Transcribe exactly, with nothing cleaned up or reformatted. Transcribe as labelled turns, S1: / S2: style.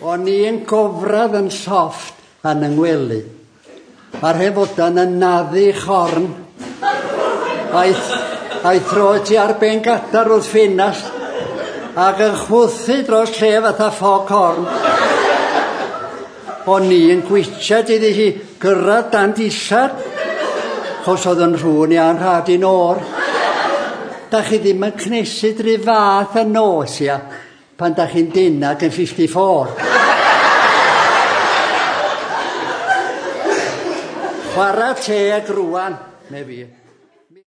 S1: O'n i yn gofradd yn soft yn yng ngwely. A'r hefodan yn naddu chorn. A'i, a'i throed ti ar ben gadar wrth ffenast ac yn chwythu dros lle fatha ffog horn. O'n i yn gwitsiad iddi hi gyrraedd dan dillad, chos oedd yn rhŵn i a'n rhad i'n o'r. Da chi ddim yn cnesu drwy fath y nos, ia, pan da chi'n dynag yn fifty-four. Chwarae teg rŵan, me fi.